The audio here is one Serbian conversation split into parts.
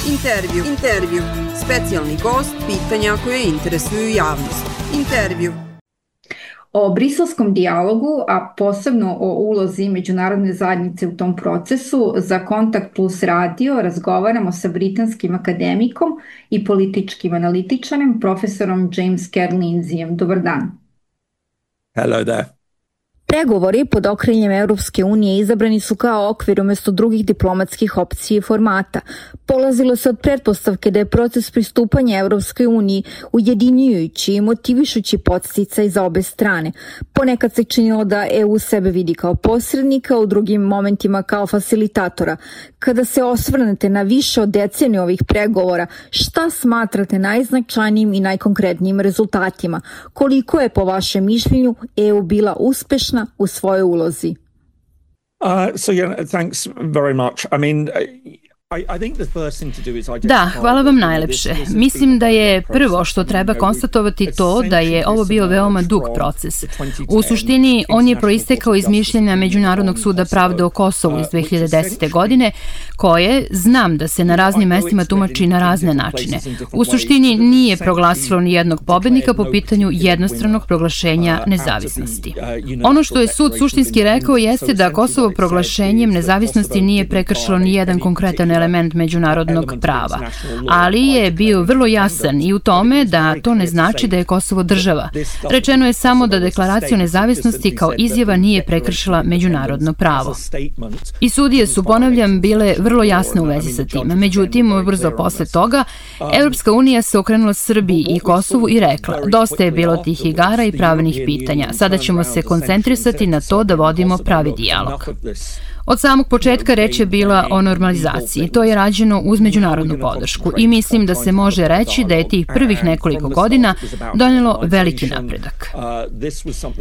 Intervju. Specijalni gost, pitanja koje interesuju javnost. Intervju. O briselskom dijalogu, a posebno o ulozi međunarodne zajednice u tom procesu, za Kontakt Plus radio razgovaramo sa britanskim akademikom i političkim analitičarem, profesorom James Kerr Lindsayem. Dobar dan. Hello there. Pregovori pod okriljem Europske unije izabrani su kao okvir umjesto drugih diplomatskih opcija i formata. Polazilo se od pretpostavke da je proces pristupanja Europskoj uniji ujedinjujući i motivišući podsticaj za obe strane. Ponekad se činilo da EU sebe vidi kao posrednika, u drugim momentima kao facilitatora. Kada se osvrnete na više od deceniju ovih pregovora, šta smatrate najznačajnijim i najkonkretnijim rezultatima? Koliko je po vašem mišljenju EU bila uspešna u svojoj ulozi? Thanks very much. Da, hvala vam najlepše. Mislim da je prvo što treba konstatovati to da je ovo bio veoma dug proces. U suštini, on je proistekao iz mišljenja Međunarodnog suda pravde o Kosovu iz 2010. godine, koje, znam da se na raznim mestima tumači na razne načine. U suštini nije proglasilo ni jednog pobednika po pitanju jednostranog proglašenja nezavisnosti. Ono što je sud suštinski rekao jeste da Kosovo proglašenjem nezavisnosti nije prekršilo ni jedan konkretan element međunarodnog prava, ali je bio vrlo jasan i u tome da to ne znači da je Kosovo država. Rečeno je samo da deklaracija o nezavisnosti kao izjava nije prekršila međunarodno pravo. I sudije su, ponavljam, bile vrlo jasne u vezi sa tim. Međutim, ubrzo posle toga, Evropska unija se okrenula Srbiji i Kosovu i rekla: dosta je bilo tih igara i pravnih pitanja, sada ćemo se koncentrisati na to da vodimo pravi dijalog. Od samog početka reč je bila o normalizaciji. To je rađeno uz međunarodnu podršku i mislim da se može reći da je tih prvih nekoliko godina donelo veliki napredak.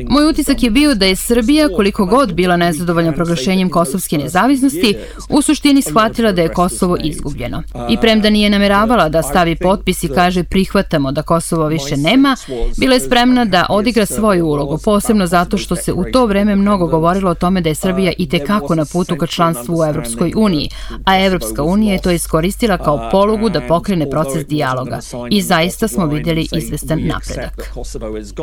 Moj utisak je bio da je Srbija, koliko god bila nezadovoljna proglašenjem kosovske nezavisnosti, u suštini shvatila da je Kosovo izgubljeno. I premda nije nameravala da stavi potpis i kaže prihvatamo da Kosovo više nema, bila je spremna da odigra svoju ulogu, posebno zato što se u to vreme mnogo govorilo o tome da je Srbija itekako na putu ka članstvu u Evropskoj uniji, a Evropska unija je to iskoristila kao polugu da pokrene proces dijaloga i zaista smo vidjeli izvestan napredak.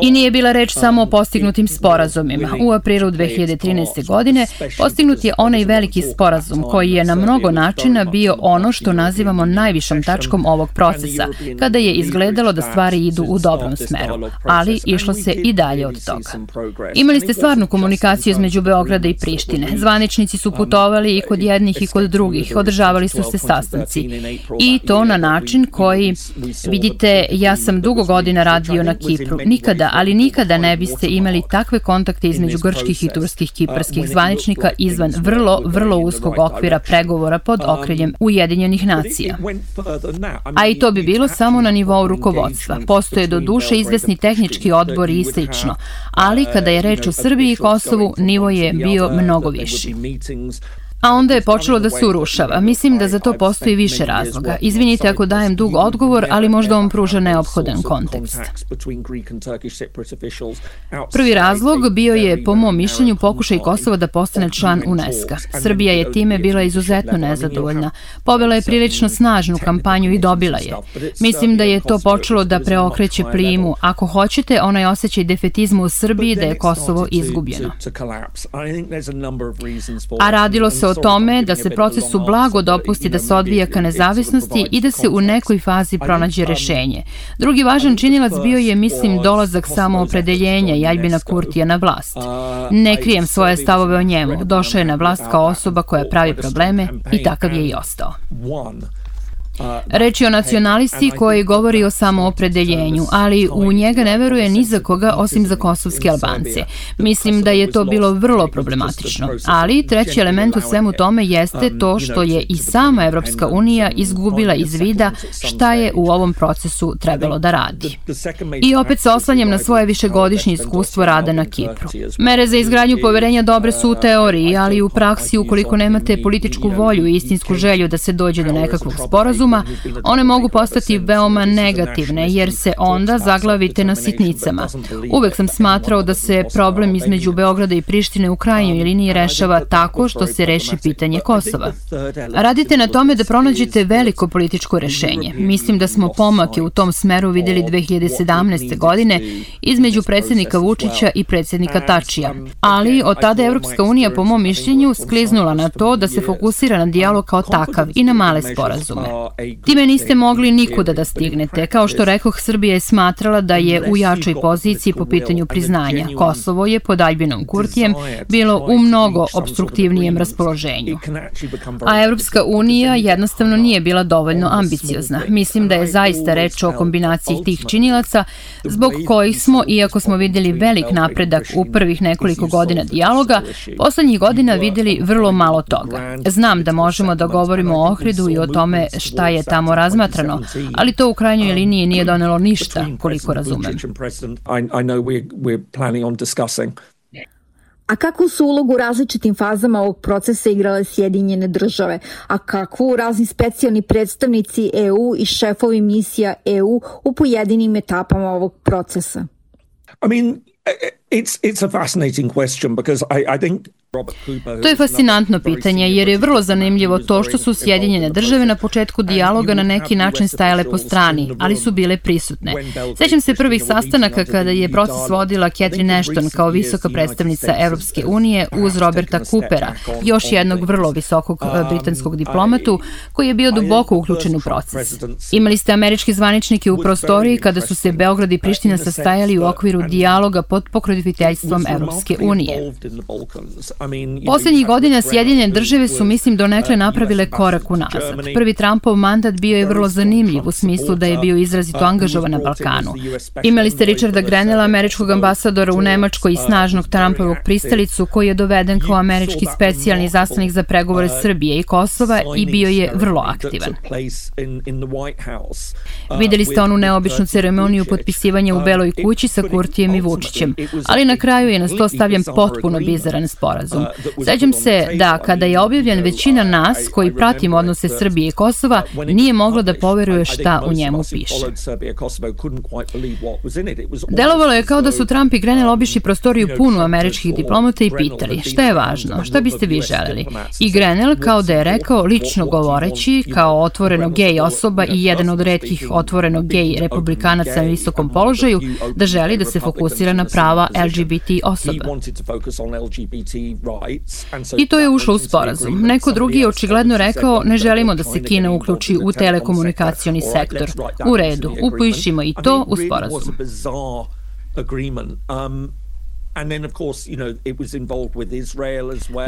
I nije bila reč samo o postignutim sporazumima. U aprilu 2013. godine postignut je onaj veliki sporazum koji je na mnogo načina bio ono što nazivamo najvišom tačkom ovog procesa, kada je izgledalo da stvari idu u dobrom smeru, ali išlo se i dalje od toga. Imali ste stvarnu komunikaciju između Beograda i Prištine. Zvaničnici su putovali i kod jednih i kod drugih, održavali su se sastanci. I to na način koji, vidite, ja sam dugo godina radio na Kipru. Nikada, ali nikada ne biste imali takve kontakte između grčkih i turskih kiparskih zvaničnika izvan vrlo uskog okvira pregovora pod okriljem Ujedinjenih nacija. A i to bi bilo samo na nivou rukovodstva. Postoje do duše izvesni tehnički odbori i slično, ali kada je reč o Srbiji i Kosovu, nivo je bio mnogo viši. A onda je počelo da se urušava. Mislim da za to postoji više razloga. Izvinite ako dajem dug odgovor, ali možda vam pruža neophodan kontekst. Prvi razlog bio je, po mom mišljenju, pokušaj Kosova da postane član UNESCO-a. Srbija je time bila izuzetno nezadovoljna. Povela je prilično snažnu kampanju i dobila je. Mislim da je to počelo da preokreće plimu. Ako hoćete, onaj osjećaj defetizma u Srbiji da je Kosovo izgubljeno. A radilo se o tome da se procesu blago dopusti da se odvija ka nezavisnosti i da se u nekoj fazi pronađe rešenje. Drugi važan činilac bio je, mislim, dolazak samoopredeljenja i Aljbina Kurtija na vlast. Ne krijem svoje stavove o njemu. Došao je na vlast kao osoba koja pravi probleme i takav je i ostao. Reč je o nacionalisti koji govori o samoopredeljenju, ali u njega ne veruje ni za koga osim za kosovske Albance. Mislim da je to bilo vrlo problematično. Ali treći element u svemu tome jeste to što je i sama Evropska unija izgubila iz vida šta je u ovom procesu trebalo da radi. I opet se oslanjam na svoje višegodišnje iskustvo rada na Kipru. Mere za izgradnju poverenja dobre su u teoriji, ali u praksi ukoliko nemate političku volju i istinsku želju da se dođe do nekakvog sporazuma, sporazuma, one mogu postati veoma negativne, jer se onda zaglavite na sitnicama. Uvek sam smatrao da se problem između Beograda i Prištine u krajnjoj liniji rešava tako što se reši pitanje Kosova. Radite na tome da pronađete veliko političko rešenje. Mislim da smo pomake u tom smeru videli 2017. godine između predsjednika Vučića i predsjednika Tačija. Ali od tada Evropska unija, po mom mišljenju, skliznula na to da se fokusira na dijalog kao takav i na male sporazume. Time niste mogli nikuda da stignete. Kao što rekoh, Srbija je smatrala da je u jačoj poziciji po pitanju priznanja. Kosovo je pod Aljbinom Kurtijem bilo u mnogo opstruktivnijem raspoloženju. A Evropska unija jednostavno nije bila dovoljno ambiciozna. Mislim da je zaista reč o kombinaciji tih činilaca zbog kojih smo, iako smo videli velik napredak u prvih nekoliko godina dijaloga, poslednjih godina videli vrlo malo toga. Znam da možemo da govorimo o Ohridu i o tome šta je tamo razmatrano, ali to u krajnjoj liniji nije donelo ništa, koliko razumem. A kakvu su ulogu u različitim fazama ovog procesa igrale Sjedinjene države, a kakvu razni specijalni predstavnici EU i šefovi misija EU u pojedinim etapama ovog procesa? It's a fascinating question because I think To je fascinantno pitanje, jer je vrlo zanimljivo to što su Sjedinjene države na početku dijaloga na neki način stajale po strani, ali su bile prisutne. Sećam se prvih sastanaka kada je proces vodila Catherine Ashton kao visoka predstavnica Evropske unije uz Roberta Coopera, još jednog vrlo visokog britanskog diplomatu koji je bio duboko uključen u proces. Imali ste američki zvaničnike u prostoriji kada su se Beograd i Priština sastajali u okviru dijaloga pod pokroviteljstvom Evropske unije. Poslednjih godina Sjedinjene države su, mislim, donekle napravile korak unazad. Prvi Trumpov mandat bio je vrlo zanimljiv u smislu da je bio izrazito angažovan na Balkanu. Imali ste Richarda Grenella, američkog ambasadora u Nemačkoj i snažnog Trumpovog pristalicu koji je doveden kao američki specijalni izaslanik za pregovore Srbije i Kosova i bio je vrlo aktivan. Videli ste onu neobičnu ceremoniju potpisivanja u Beloj kući sa Kurtijem i Vučićem, ali na kraju je na sto stavljen potpuno bizaran sporazum. Sećam se da kada je objavljen, većina nas koji pratimo odnose Srbije i Kosova nije mogla da poveruje šta u njemu piše. Delovalo je kao da su Trump i Grenell obišli prostoriju punu američkih diplomata i pitali šta je važno, šta biste vi želeli. I Grenell, kao da je rekao, lično govoreći, kao otvoreno gej osoba i jedan od retkih otvoreno gej republikanaca na visokom položaju, da želi da se fokusira na prava LGBT osoba. I to je ušlo u sporazum. Neko drugi je očigledno rekao, ne želimo da se Kina uključi u telekomunikacioni sektor. U redu, upišimo i to u sporazum.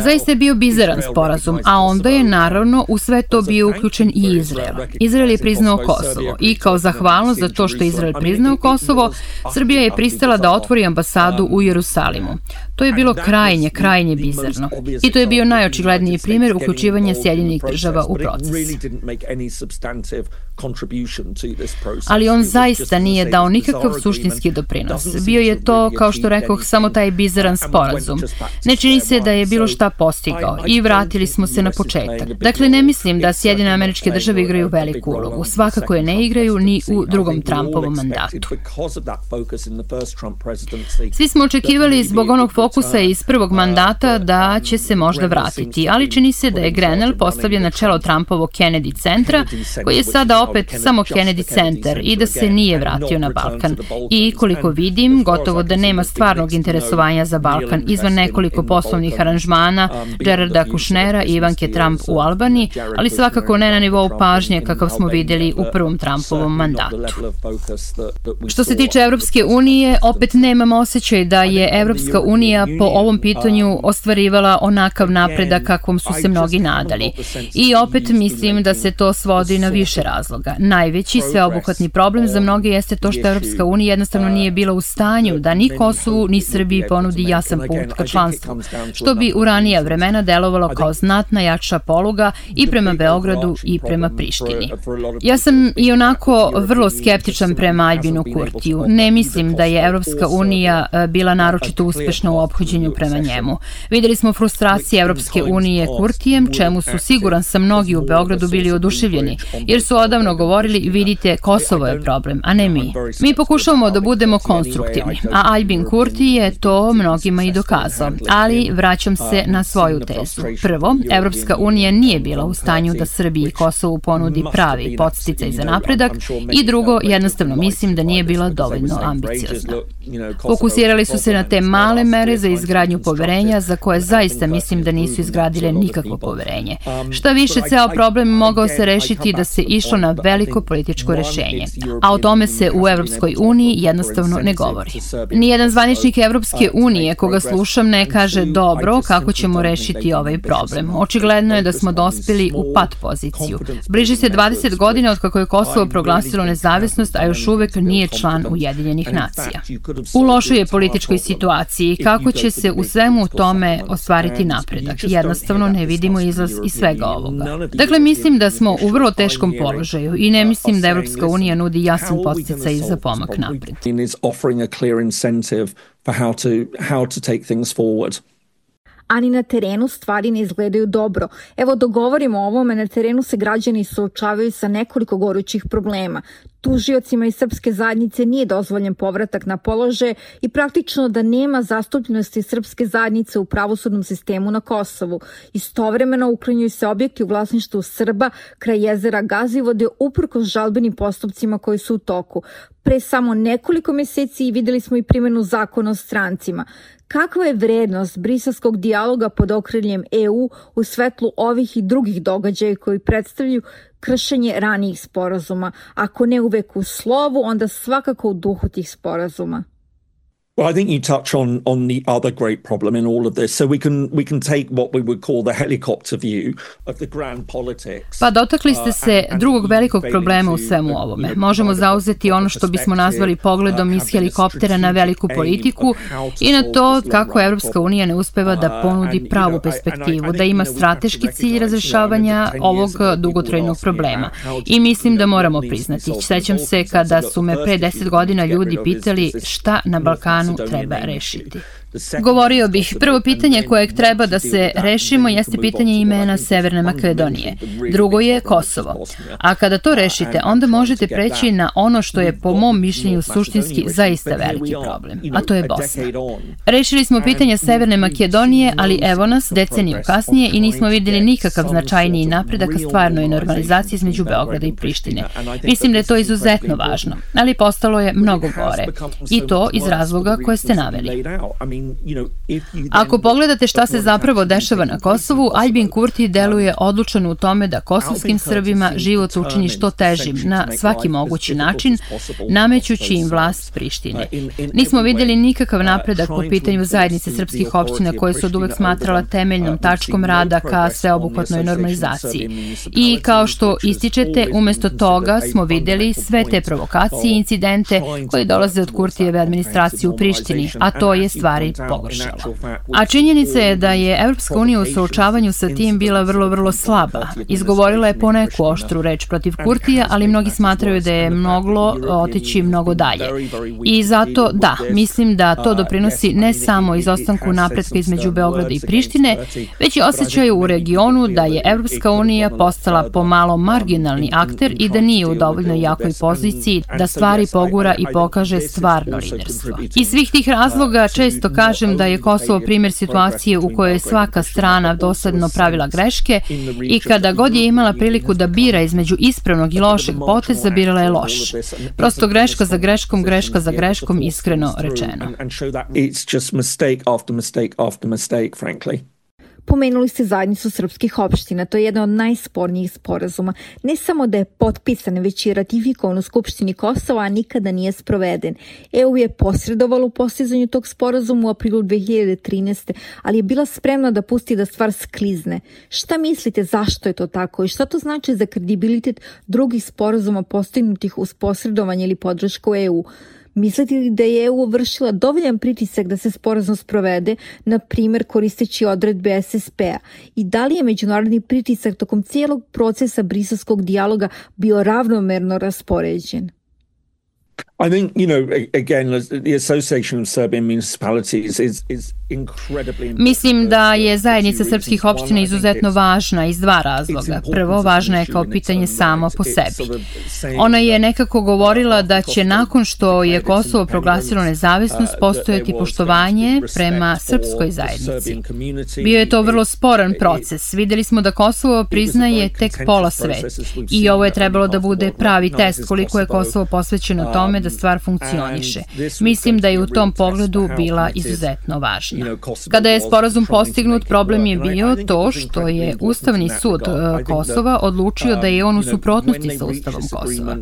Zaista je bio bizaran sporazum, a onda je naravno u sve to bio uključen i Izrael. Izrael je priznao Kosovo i kao zahvalnost za to što je Izrael priznao Kosovo, Srbija je pristala da otvori ambasadu u Jerusalimu. To je bilo krajnje bizarno. I to je bio najočigledniji primjer uključivanja Sjedinjenih država u proces. Ali on zaista nije dao nikakav suštinski doprinos. Bio je to, kao što rekoh, samo taj bizaran sporazum. Ne čini se da je bilo šta postigao i vratili smo se na početak. Dakle, ne mislim da Sjedinjene Američke Države igraju veliku ulogu. Svakako je ne igraju ni u drugom Trumpovom mandatu. Svi smo očekivali zbog onog fokusa iz prvog mandata da će se možda vratiti, ali čini se da je Grenell postavljen na čelo Trumpovog Kennedy centra, koji je sada opet samo Kennedy centar i da se nije vratio na Balkan. I koliko vidim, gotovo da nema stvarnog interesovanja za Balkan izvan nekoliko poslovnih aranžmana Jareda Kushnera i Ivanke Trump u Albaniji, ali svakako ne na nivou pažnje kakav smo videli u prvom Trumpovom mandatu. Što se tiče Evropske unije, opet nemam osjećaj da je Evropska unija po ovom pitanju ostvarivala onakav napredak kakvom su se mnogi nadali. I opet mislim da se to svodi na više razloga. Najveći sveobuhvatni problem za mnoge jeste to što Evropska unija jednostavno nije bila u stanju da ni Kosovu ni Srbiji Srbiji ponudi jasan put ka članstvu, što bi u ranija vremena delovalo kao znatna jača poluga i prema Beogradu i prema Prištini. Ja sam i onako vrlo skeptičan prema Aljbinu Kurtiju. Ne mislim da je Evropska unija bila naročito uspešna u ophođenju prema njemu. Videli smo frustracije Evropske unije Kurtijem, čemu su siguran sam mnogi u Beogradu bili oduševljeni, jer su odavno govorili, vidite, Kosovo je problem, a ne mi. Mi pokušavamo da budemo konstruktivni, a Aljbin Kurti je to mnogima i dokazao, ali vraćam se na svoju tezu. Prvo, Evropska unija nije bila u stanju da Srbiji i Kosovu ponudi pravi podsticaj za napredak i drugo, jednostavno mislim da nije bila dovoljno ambiciozna. Fokusirali su se na te male mere za izgradnju poverenja za koje zaista mislim da nisu izgradile nikakvo poverenje. Šta više, ceo problem mogao se rešiti da se išlo na veliko političko rešenje, a o tome se u Evropskoj uniji jednostavno ne govori. Nijedan zvaničnik Evropske unije koga slušam ne kaže dobro kako ćemo rešiti ovaj problem. Očigledno je da smo dospeli u pat poziciju. Bliži se 20 godina od kako je Kosovo proglasilo nezavisnost, a još uvek nije član Ujedinjenih nacija. U lošoj je političkoj situaciji. Kako će se u svemu tome ostvariti napredak? Jednostavno ne vidimo izlaz iz svega ovoga. Dakle, mislim da smo u vrlo teškom položaju i ne mislim da Evropska unija nudi jasan podsticaj za pomak napred. Ani na terenu stvari ne izgledaju dobro. Evo, dogovorimo o ovome, na terenu se građani suočavaju sa nekoliko gorućih problema. Tužiocima iz srpske zajednice nije dozvoljen povratak na položaje i praktično da nema zastupljenosti srpske zajednice u pravosudnom sistemu na Kosovu. Istovremeno uklanjaju se objekti u vlasništvu Srba kraj jezera Gazivode uprkos žalbenim postupcima koji su u toku. Pre samo nekoliko meseci videli smo i primjenu zakona o strancima. Kakva je vrednost briselskog dijaloga pod okriljem EU u svetlu ovih i drugih događaja koji predstavljaju kršenje ranijih sporazuma? Ako ne uvek u slovu, onda svakako u duhu tih sporazuma. Well, I think you touch on the other great problem in all of this. So we can take what we would call the helicopter view of the grand politics. Pa dotakli ste se drugog velikog problema u svemu ovome. Možemo zauzeti ono što bismo nazvali pogledom iz helikoptera na veliku politiku i na to kako Evropska unija ne uspeva da ponudi pravu perspektivu, da ima strateški cilj razrešavanja ovog dugotrajnog problema. I mislim da moramo priznati. Sećam se kada su me pre 10 godina ljudi pitali šta na Balkanu treba rešiti. Govorio bih, prvo pitanje kojeg treba da se rešimo jeste pitanje imena Severne Makedonije. Drugo je Kosovo. A kada to rešite, onda možete preći na ono što je po mom mišljenju suštinski zaista veliki problem, a to je Bosna. Rešili smo pitanje Severne Makedonije, ali evo nas deceniju kasnije i nismo videli nikakav značajniji napredak ka stvarnoj normalizaciji između Beograda i Prištine. Mislim da je to izuzetno važno, ali postalo je mnogo gore. I to iz razloga koje ste naveli. Ako pogledate šta se zapravo dešava na Kosovu, Aljbin Kurti deluje odlučan u tome da kosovskim Srbima život učini što težim na svaki mogući način, namećući im vlast Prištine. Nismo vidjeli nikakav napredak po pitanju zajednice srpskih opština koje su oduvek smatrala temeljnom tačkom rada ka sveobuhvatnoj normalizaciji. I kao što ističete, umesto toga smo vidjeli sve te provokacije i incidente koji dolaze od Kurtijeve administracije u Prištini, a to je stvari pogoršalo. A činjenica je da je Evropska unija u suočavanju sa tim bila vrlo slaba. Izgovorila je poneku oštru reč protiv Kurtija, ali mnogi smatraju da je moglo otići mnogo dalje. I zato, da, mislim da to doprinosi ne samo izostanku napretka između Beograda i Prištine, već i osjećaju u regionu da je Evropska unija postala pomalo marginalni akter i da nije u dovoljno jakoj poziciji da stvari pogura i pokaže stvarno liderstvo. Iz svih tih razloga često kažem da je Kosovo primjer situacije u kojoj je svaka strana dosledno pravila greške i kada god je imala priliku da bira između ispravnog i lošeg poteza, birala je loš. Prosto greška za greškom, iskreno rečeno. Pomenuli ste zajednicu srpskih opština, to je jedna od najspornijih sporazuma. Ne samo da je potpisan, već i ratifikovan u Skupštini Kosova, a nikada nije sproveden. EU je posredovalo u postizanju tog sporazuma u aprilu 2013. ali je bila spremna da pusti da stvar sklizne. Šta mislite zašto je to tako i šta to znači za kredibilitet drugih sporazuma postignutih uz posredovanje ili podršku EU? Mislite li da je EU vršila dovoljan pritisak da se sporazum sprovede, na primjer koristeći odredbe SSP-a? I da li je međunarodni pritisak tokom cijelog procesa briselskog dijaloga bio ravnomerno raspoređen? I think, again, the Association of Serbian Municipalities is incredibly... Mislim da je zajednica srpskih opština izuzetno važna iz dva razloga. Prvo, važna je kao pitanje samo po sebi. Ona je nekako govorila da će nakon što je Kosovo proglasilo nezavisnost postojati poštovanje prema srpskoj zajednici. Bio je to vrlo sporan proces. Videli smo da Kosovo priznaje tek pola sveta i ovo je trebalo da bude pravi test koliko je Kosovo posvećeno tome da stvar funkcioniše. Mislim da je u tom pogledu bila izuzetno važna. Kada je sporazum postignut, problem je bio to što je Ustavni sud Kosova odlučio da je on u suprotnosti sa Ustavom Kosova.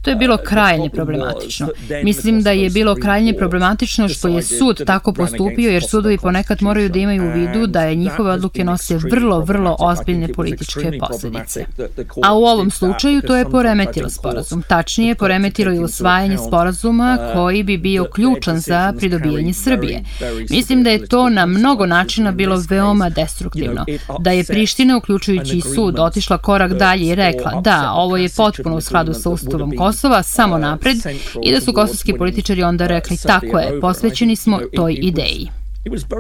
To je bilo krajnje problematično. Mislim da je bilo krajnje problematično što je sud tako postupio, jer sudovi ponekad moraju da imaju u vidu da je njihove odluke nose vrlo, vrlo ozbiljne političke posljedice. A u ovom slučaju to je poremetilo sporazum. Tačnije, poremetilo je usvajanje sporazuma koji bi bio ključan za pridobijanje Srbije. Mislim da je to na mnogo načina bilo veoma destruktivno. Da je Priština, uključujući i sud, otišla korak dalje i rekla da, ovo je potpuno u skladu sa Ustavom Kosova, samo napred, i da su kosovski političari onda rekli tako je, posvećeni smo toj ideji.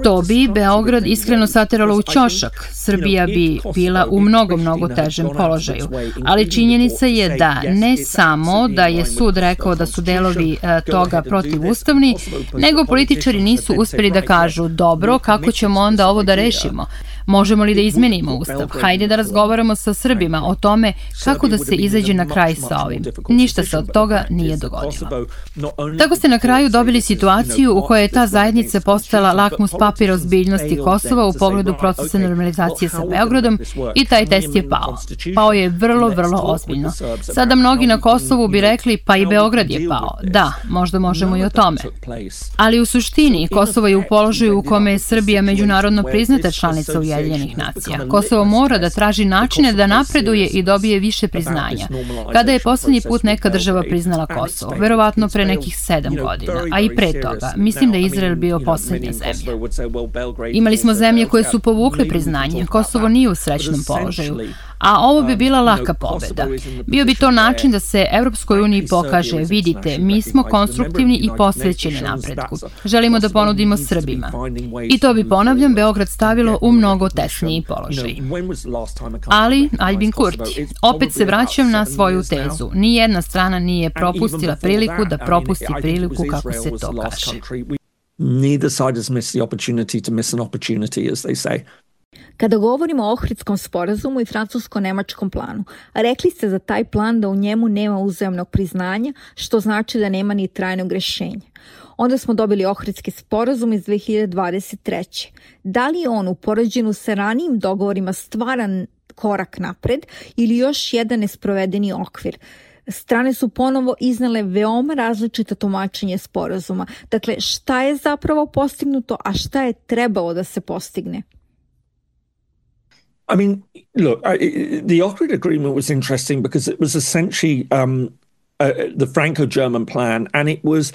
To bi Beograd iskreno sateralo u ćošak. Srbija bi bila u mnogo težem položaju. Ali činjenica je da ne samo da je sud rekao da su delovi toga protivustavni, nego političari nisu uspeli da kažu dobro, kako ćemo onda ovo da rešimo? Možemo li da izmenimo Ustav? Hajde da razgovaramo sa Srbima o tome kako da se izađe na kraj sa ovim. Ništa se od toga nije dogodilo. Tako ste na kraju dobili situaciju u kojoj je ta zajednica postala lakmus papir ozbiljnosti Kosova u pogledu procesa normalizacije sa Beogradom i taj test je pao. Pao je vrlo ozbiljno. Sada mnogi na Kosovu bi rekli pa i Beograd je pao. Da, možda možemo i o tome. Ali u suštini Kosovo je u položaju u kome je Srbija međunarodno priznata članica Ujedinjenih nacija. Kosovo mora da traži načine da napreduje i dobije više priznanja. Kada je poslednji put neka država priznala Kosovo? Verovatno pre nekih 7 godina, a i pre toga. Mislim da je Izrael bio poslednja zemlja. Imali smo zemlje koje su povukle priznanje. Kosovo nije u srećnom položaju. A ovo bi bila laka pobeda. Bio bi to način da se Evropskoj uniji pokaže, vidite, mi smo konstruktivni i posvećeni napretku. Želimo da ponudimo Srbima. I to bi, ponavljam, Beograd stavilo u mnogo tesniji položaj. Ali, Aljbin Kurti, opet se vraćam na svoju tezu. Nijedna strana nije propustila priliku da propusti priliku, kako se to kaže. Neither side has missed the opportunity to miss an opportunity, as they say. Kada govorimo o Ohridskom sporazumu i francusko-nemačkom planu, rekli ste za taj plan da u njemu nema uzajamnog priznanja, što znači da nema ni trajnog rešenja. Onda smo dobili Ohridski sporazum iz 2023. Da li je on u poređenju sa ranijim dogovorima stvaran korak napred ili još jedan nesprovedeni okvir? Strane su ponovo iznale veoma različita tumačenje sporazuma. Dakle, šta je zapravo postignuto, a šta je trebalo da se postigne? I mean, look, the Ohrid agreement was interesting because it was essentially the Franco-German plan, and it was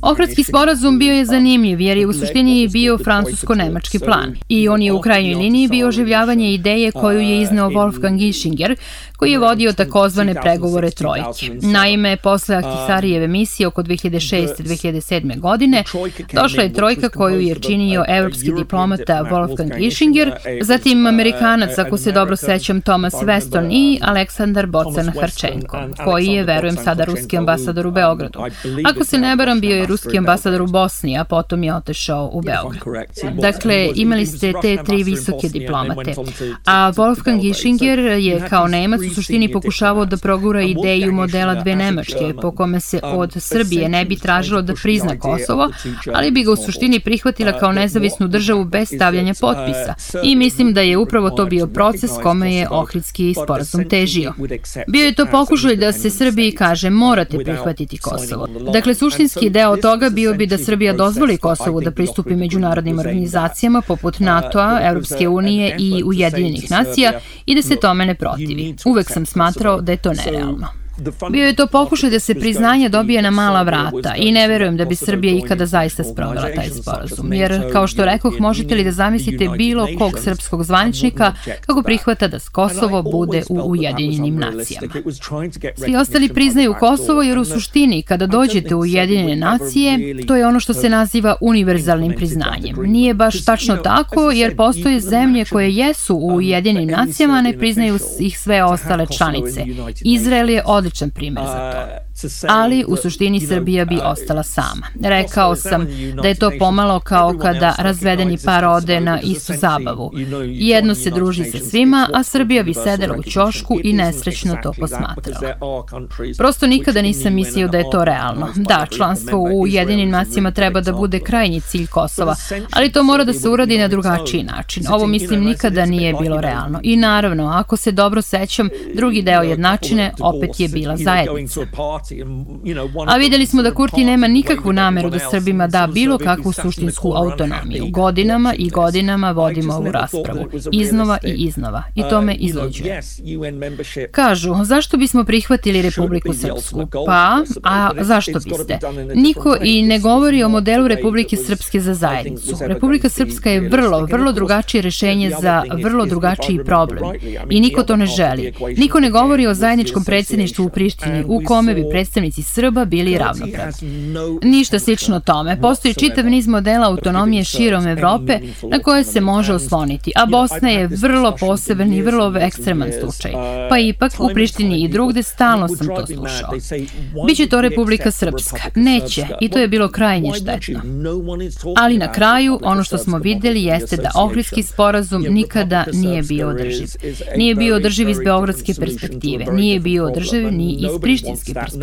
Ohridski sporazum bio je zanimljiv jer je u suštini bio francusko-nemački plan i on je u krajnjoj liniji bio oživljavanje ideje koju je izneo Wolfgang Ischinger, koji je vodio takozvane pregovore trojke. Naime, posle Ahtisarijeve misije oko 2006-2007. godine došla je trojka koju je činio evropski diplomata Wolfgang Ischinger, zatim Amerikanac, ako se dobro sećam, Thomas Weston i Aleksandar Bocan-Harčenko, koji je, verujem, sada ruski ambasador u Beogradu. Ako se ne varam, bio je ruski ambasador u Bosni, a potom je otešao u Beograd. Dakle, imali ste te tri visoke diplomate. A Wolfgang Ischinger je kao Nemac u suštini pokušavao da progura ideju modela dve Nemačke, po kome se od Srbije ne bi tražilo da prizna Kosovo, ali bi ga u suštini prihvatila kao nezavisnu državu bez stavljanja potpisa. I mislim da je upravo to bio proces kome je Ohridski sporazum težio. Bio je to pokušaj da se se Srbiji kaže morate prihvatiti Kosovo. Dakle, suštinski deo toga bio bi da Srbija dozvoli Kosovu da pristupi međunarodnim organizacijama poput NATO-a, Evropske unije i Ujedinjenih nacija i da se tome ne protivi. Uvek sam smatrao da je to nerealno. Bio je to pokušaj da se priznanje dobije na mala vrata i ne verujem da bi Srbija ikada zaista sprovela taj sporazum. Jer, kao što rekoh, možete li da zamislite bilo kog srpskog zvaničnika kako prihvata da Kosovo bude u Ujedinjenim nacijama. Svi ostali priznaju Kosovo jer u suštini kada dođete u Ujedinjene nacije, to je ono što se naziva univerzalnim priznanjem. Nije baš tačno tako jer postoje zemlje koje jesu u Ujedinjenim nacijama, a ne priznaju ih sve ostale članice. Izrael je odličan primjer za to. Ali u suštini Srbija bi ostala sama. Rekao sam da je to pomalo kao kada razvedeni par ode na istu zabavu. Jedno se druži sa svima, a Srbija bi sedela u ćošku i nesrećno to posmatrala. Prosto nikada nisam mislio da je to realno. Da, članstvo u Ujedinjenim nacijama treba da bude krajnji cilj Kosova, ali to mora da se uradi na drugačiji način. Ovo mislim nikada nije bilo realno. I naravno, ako se dobro sećam, drugi deo jednačine opet je bila zajednica. A videli smo da Kurti nema nikakvu nameru da Srbima da bilo kakvu suštinsku autonomiju. Godinama i godinama vodimo ovu raspravu. Iznova i iznova. I to me izluđuje. Kažu, zašto bismo prihvatili Republiku Srpsku? Pa, a zašto biste? Niko i ne govori o modelu Republike Srpske za zajednicu. Republika Srpska je vrlo drugačije rešenje za vrlo drugačiji problem. I niko to ne želi. Niko ne govori o zajedničkom predsjedništvu u Prištini, u kome bi predstavnici Srba bili ravnopravni. Ništa slično tome. Postoji čitav niz modela autonomije širom Evrope na koje se može osloniti, a Bosna je vrlo poseban i vrlo ekstreman slučaj. Pa ipak u Prištini i drugde stalno sam to slušao. Biće to Republika Srpska. Neće, i to je bilo krajnje štetno. Ali na kraju, ono što smo videli jeste da Ohridski sporazum nikada nije bio održiv. Nije bio održiv iz beogradske perspektive, nije bio održiv ni iz prištinske perspektive.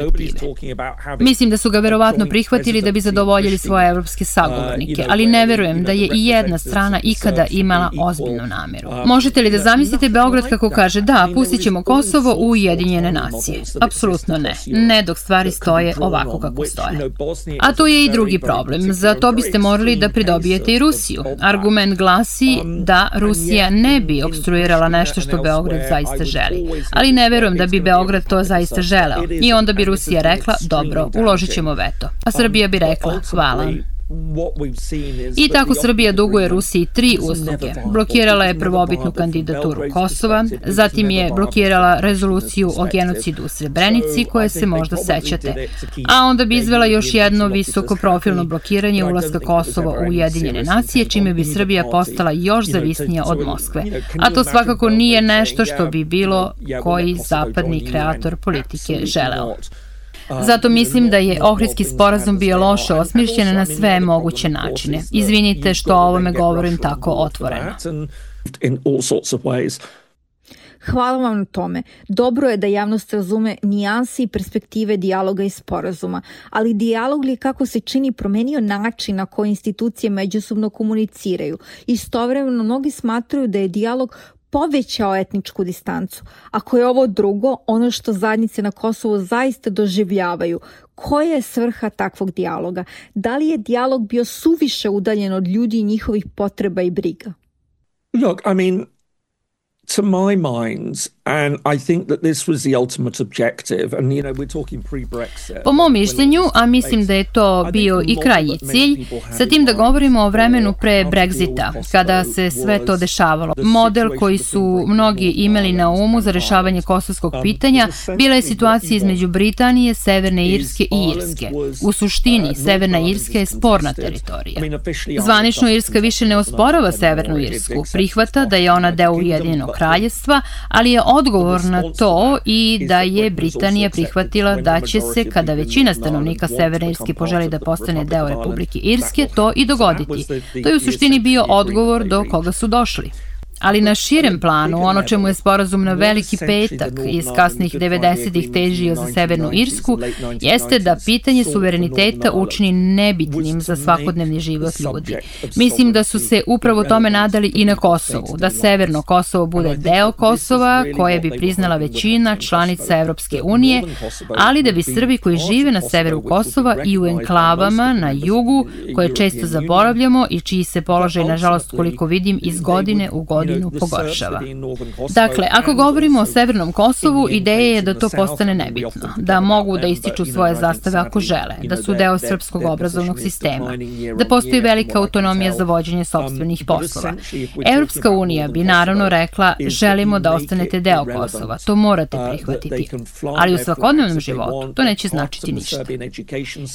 Mislim da su ga verovatno prihvatili da bi zadovoljili svoje evropske sagovornike, ali ne verujem da je i jedna strana ikada imala ozbiljnu nameru. Možete li da zamislite Beograd kako kaže da, pustit ćemo Kosovo u Ujedinjene nacije? Apsolutno ne. Ne dok stvari stoje ovako kako stoje. A to je i drugi problem. Za to biste morali da pridobijete i Rusiju. Argument glasi da Rusija ne bi opstruirala nešto što Beograd zaista želi. Ali ne verujem da bi Beograd to zaista želeo. I onda bi Rusija rekla, dobro, uložit ćemo veto. A Srbija bi rekla, hvala. I tako Srbija duguje Rusiji 3 usluge. Blokirala je prvobitnu kandidaturu Kosova, zatim je blokirala rezoluciju o genocidu u Srebrenici, koje se možda sećate, a onda bi izvela još jedno visokoprofilno blokiranje ulaska Kosova u Ujedinjene nacije, čime bi Srbija postala još zavisnija od Moskve. A to svakako nije nešto što bi bilo koji zapadni kreator politike želeo. Zato mislim da je Ohridski sporazum bio loše osmišljen na sve moguće načine. Izvinite što o ovome govorim tako otvoreno. Hvala vam na tome. Dobro je da javnost razume nijanse i perspektive dijaloga i sporazuma, ali dijalog li kako se čini promenio način na koji institucije međusobno komuniciraju. Istovremeno mnogi smatraju da je dijalog povećao etničku distancu. Ako je ovo drugo, ono što zajednice na Kosovu zaista doživljavaju, koja je svrha takvog dijaloga? Da li je dijalog bio suviše udaljen od ljudi i njihovih potreba i briga? Look, I mean, to my mind, and I think that this was the ultimate objective, and you know, we're talking pre-Brexit. Po mom mišljenju, a mislim da je to bio i krajnji cilj, sa tim da govorimo o vremenu pre Brexita, kada se sve to dešavalo. Model koji su mnogi imali na umu za rešavanje kosovskog pitanja bila je situacija između Britanije, Severne Irske i Irske. U suštini, Severna Irska je sporna teritorija. Zvanično Irska više ne osporava Severnu Irsku, prihvata da je ona deo Ujedinjenog kraljevstva, ali je odgovor na to i da je Britanija prihvatila da će se, kada većina stanovnika Severne Irske poželi da postane deo Republike Irske, to i dogoditi. To je u suštini bio odgovor do koga su došli. Ali na širem planu, ono čemu je sporazum na Veliki petak iz kasnih 90-ih težio za Severnu Irsku, jeste da pitanje suvereniteta učini nebitnim za svakodnevni život ljudi. Mislim da su se upravo tome nadali i na Kosovu, da Severno Kosovo bude deo Kosova, koje bi priznala većina članica Evropske unije, ali da bi Srbi koji žive na severu Kosova i u enklavama na jugu, koje često zaboravljamo i čiji se položaj, nažalost, koliko vidim, iz godine u godinu pogoršava. Dakle, ako govorimo o Severnom Kosovu, ideja je da to postane nebitno, da mogu da ističu svoje zastave ako žele, da su deo srpskog obrazovnog sistema, da postoji velika autonomija za vođenje sopstvenih poslova. Evropska unija bi naravno rekla, želimo da ostanete deo Kosova, to morate prihvatiti, ali u svakodnevnom životu to neće značiti ništa.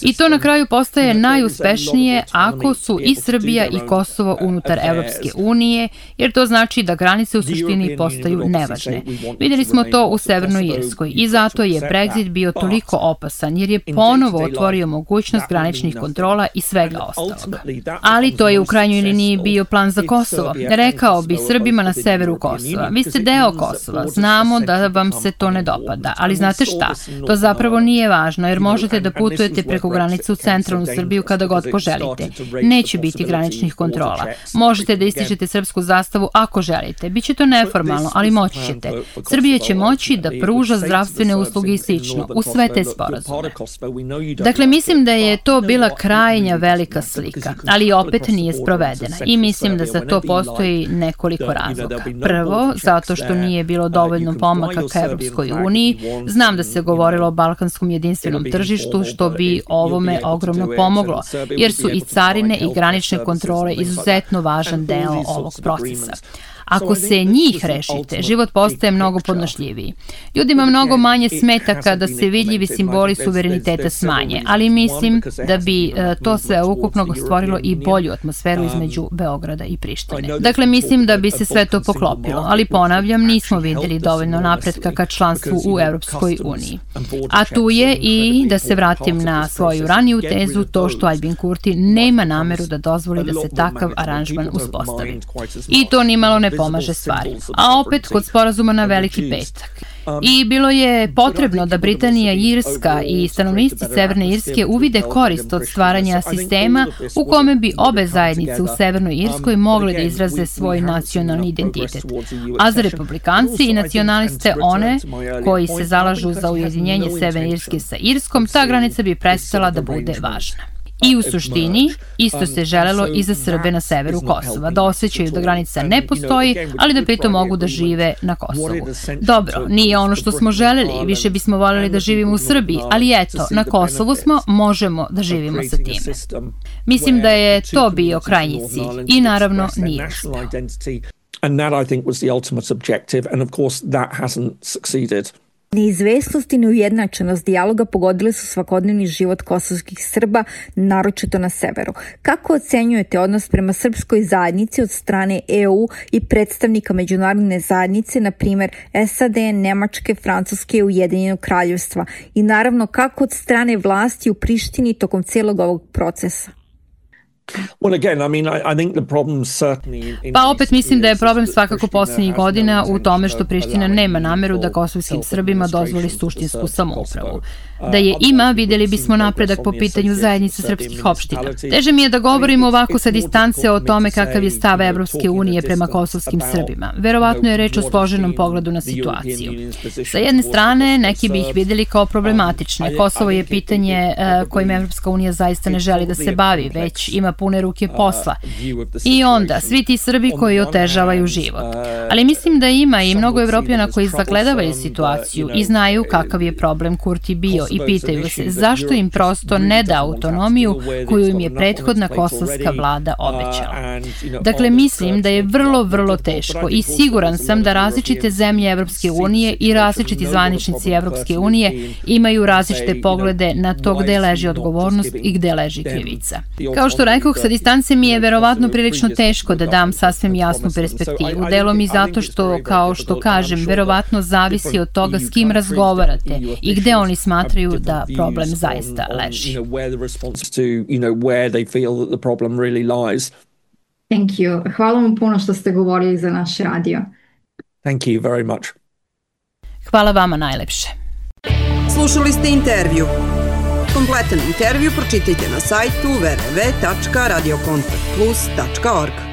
I to na kraju postaje najuspešnije ako su i Srbija i Kosovo unutar Evropske unije, jer to znači da granice u suštini postaju nevažne. Videli smo to u Severnoj Irskoj i zato je Brexit bio toliko opasan, jer je ponovo otvorio mogućnost graničnih kontrola i svega ostalog. Ali to je u krajnjoj liniji bio plan za Kosovo. Rekao bi Srbima na severu Kosova, vi ste deo Kosova, znamo da vam se to ne dopada, ali znate šta, to zapravo nije važno, jer možete da putujete preko granice u centralnu Srbiju kada god poželite. Neće biti graničnih kontrola. Možete da ističete srpsku zastavu ako želite. Biće to neformalno, ali moći ćete. Srbija će moći da pruža zdravstvene usluge i slično u sve te sporazume. Dakle, mislim da je to bila krajnja velika slika, ali opet nije sprovedena i mislim da za to postoji nekoliko razloga. Prvo, zato što nije bilo dovoljno pomaka ka Evropskoj uniji. Znam da se govorilo o balkanskom jedinstvenom tržištu, što bi ovome ogromno pomoglo, jer su i carine i granične kontrole izuzetno važan deo ovog procesa. Ako se njih rešite, život postaje mnogo podnošljiviji. Ljudima mnogo manje smeta kada se vidljivi simboli suvereniteta smanje, ali mislim da bi to sve ukupno stvorilo i bolju atmosferu između Beograda i Prištine. Dakle, mislim da bi se sve to poklopilo, ali ponavljam, nismo videli dovoljno napretka ka članstvu u Evropskoj uniji. A tu je i, da se vratim na svoju raniju tezu, to što Aljbin Kurti nema nameru da dozvoli da se takav aranžman uspostavi. I to nimalo ne pomaže stvari. A opet kod sporazuma na Veliki petak. I bilo je potrebno da Britanija, Irska i stanovnici Severne Irske uvide korist od stvaranja sistema u kome bi obe zajednice u Severnoj Irskoj mogle da izraze svoj nacionalni identitet. A za republikanci i nacionaliste, one koji se zalažu za ujedinjenje Severne Irske sa Irskom, ta granica bi prestala da bude važna. I u suštini, isto se želelo i za Srbe na severu Kosova, da osjećaju da granica ne postoji, ali da pritom mogu da žive na Kosovu. Dobro, nije ono što smo želeli, više bismo voljeli da živimo u Srbiji, ali eto, na Kosovu smo, možemo da živimo sa time. Mislim da je to bio krajnji cilj i naravno nije uspeo. And that, I think, was the ultimate objective, and of course that hasn't succeeded. Neizvesnost i neujednačenost dijaloga pogodile su svakodnevni život kosovskih Srba, naročito na severu. Kako ocenjujete odnos prema srpskoj zajednici od strane EU i predstavnika međunarodne zajednice, na primjer SAD, Nemačke, Francuske i Ujedinjenog kraljevstva? I naravno, kako od strane vlasti u Prištini tokom cijelog ovog procesa? Pa opet mislim da je problem svakako posljednjih godina u tome što Priština nema nameru da kosovskim Srbima dozvoli suštinsku samoupravu. Da je ima, vidjeli bismo napredak po pitanju zajednice srpskih opština. Teže mi je da govorim ovako sa distance o tome kakav je stav Evropske unije prema kosovskim Srbima. Verovatno je reč o složenom pogledu na situaciju. Sa jedne strane, neki bi ih vidjeli kao problematične. Kosovo je pitanje kojim Evropska unija zaista ne želi da se bavi, već ima pune ruke posla. I onda, svi ti Srbi koji otežavaju život. Ali mislim da ima i mnogo Evropljana koji zagledavaju situaciju i znaju kakav je problem Kurti bio i pitaju se zašto im prosto ne da autonomiju koju im je prethodna kosovska vlada obećala. Dakle, mislim da je vrlo, vrlo teško i siguran sam da različite zemlje Evropske unije i različiti zvaničnici Evropske unije imaju različite poglede na to gde leži odgovornost i gde leži krivica. Kao što rekoh, sa distance mi je verovatno prilično teško da dam sasvim jasnu perspektivu, delom i zato što, kao što kažem, verovatno zavisi od toga s kim razgovarate i gde oni smatraju da problem zaista leži. Thank you. Hvala vam puno što ste govorili za naš radio. Thank you very much. Hvala vama najlepše. Slušali ste intervju. Kompletan intervju pročitajte na sajtu www.radiokontaktplus.org.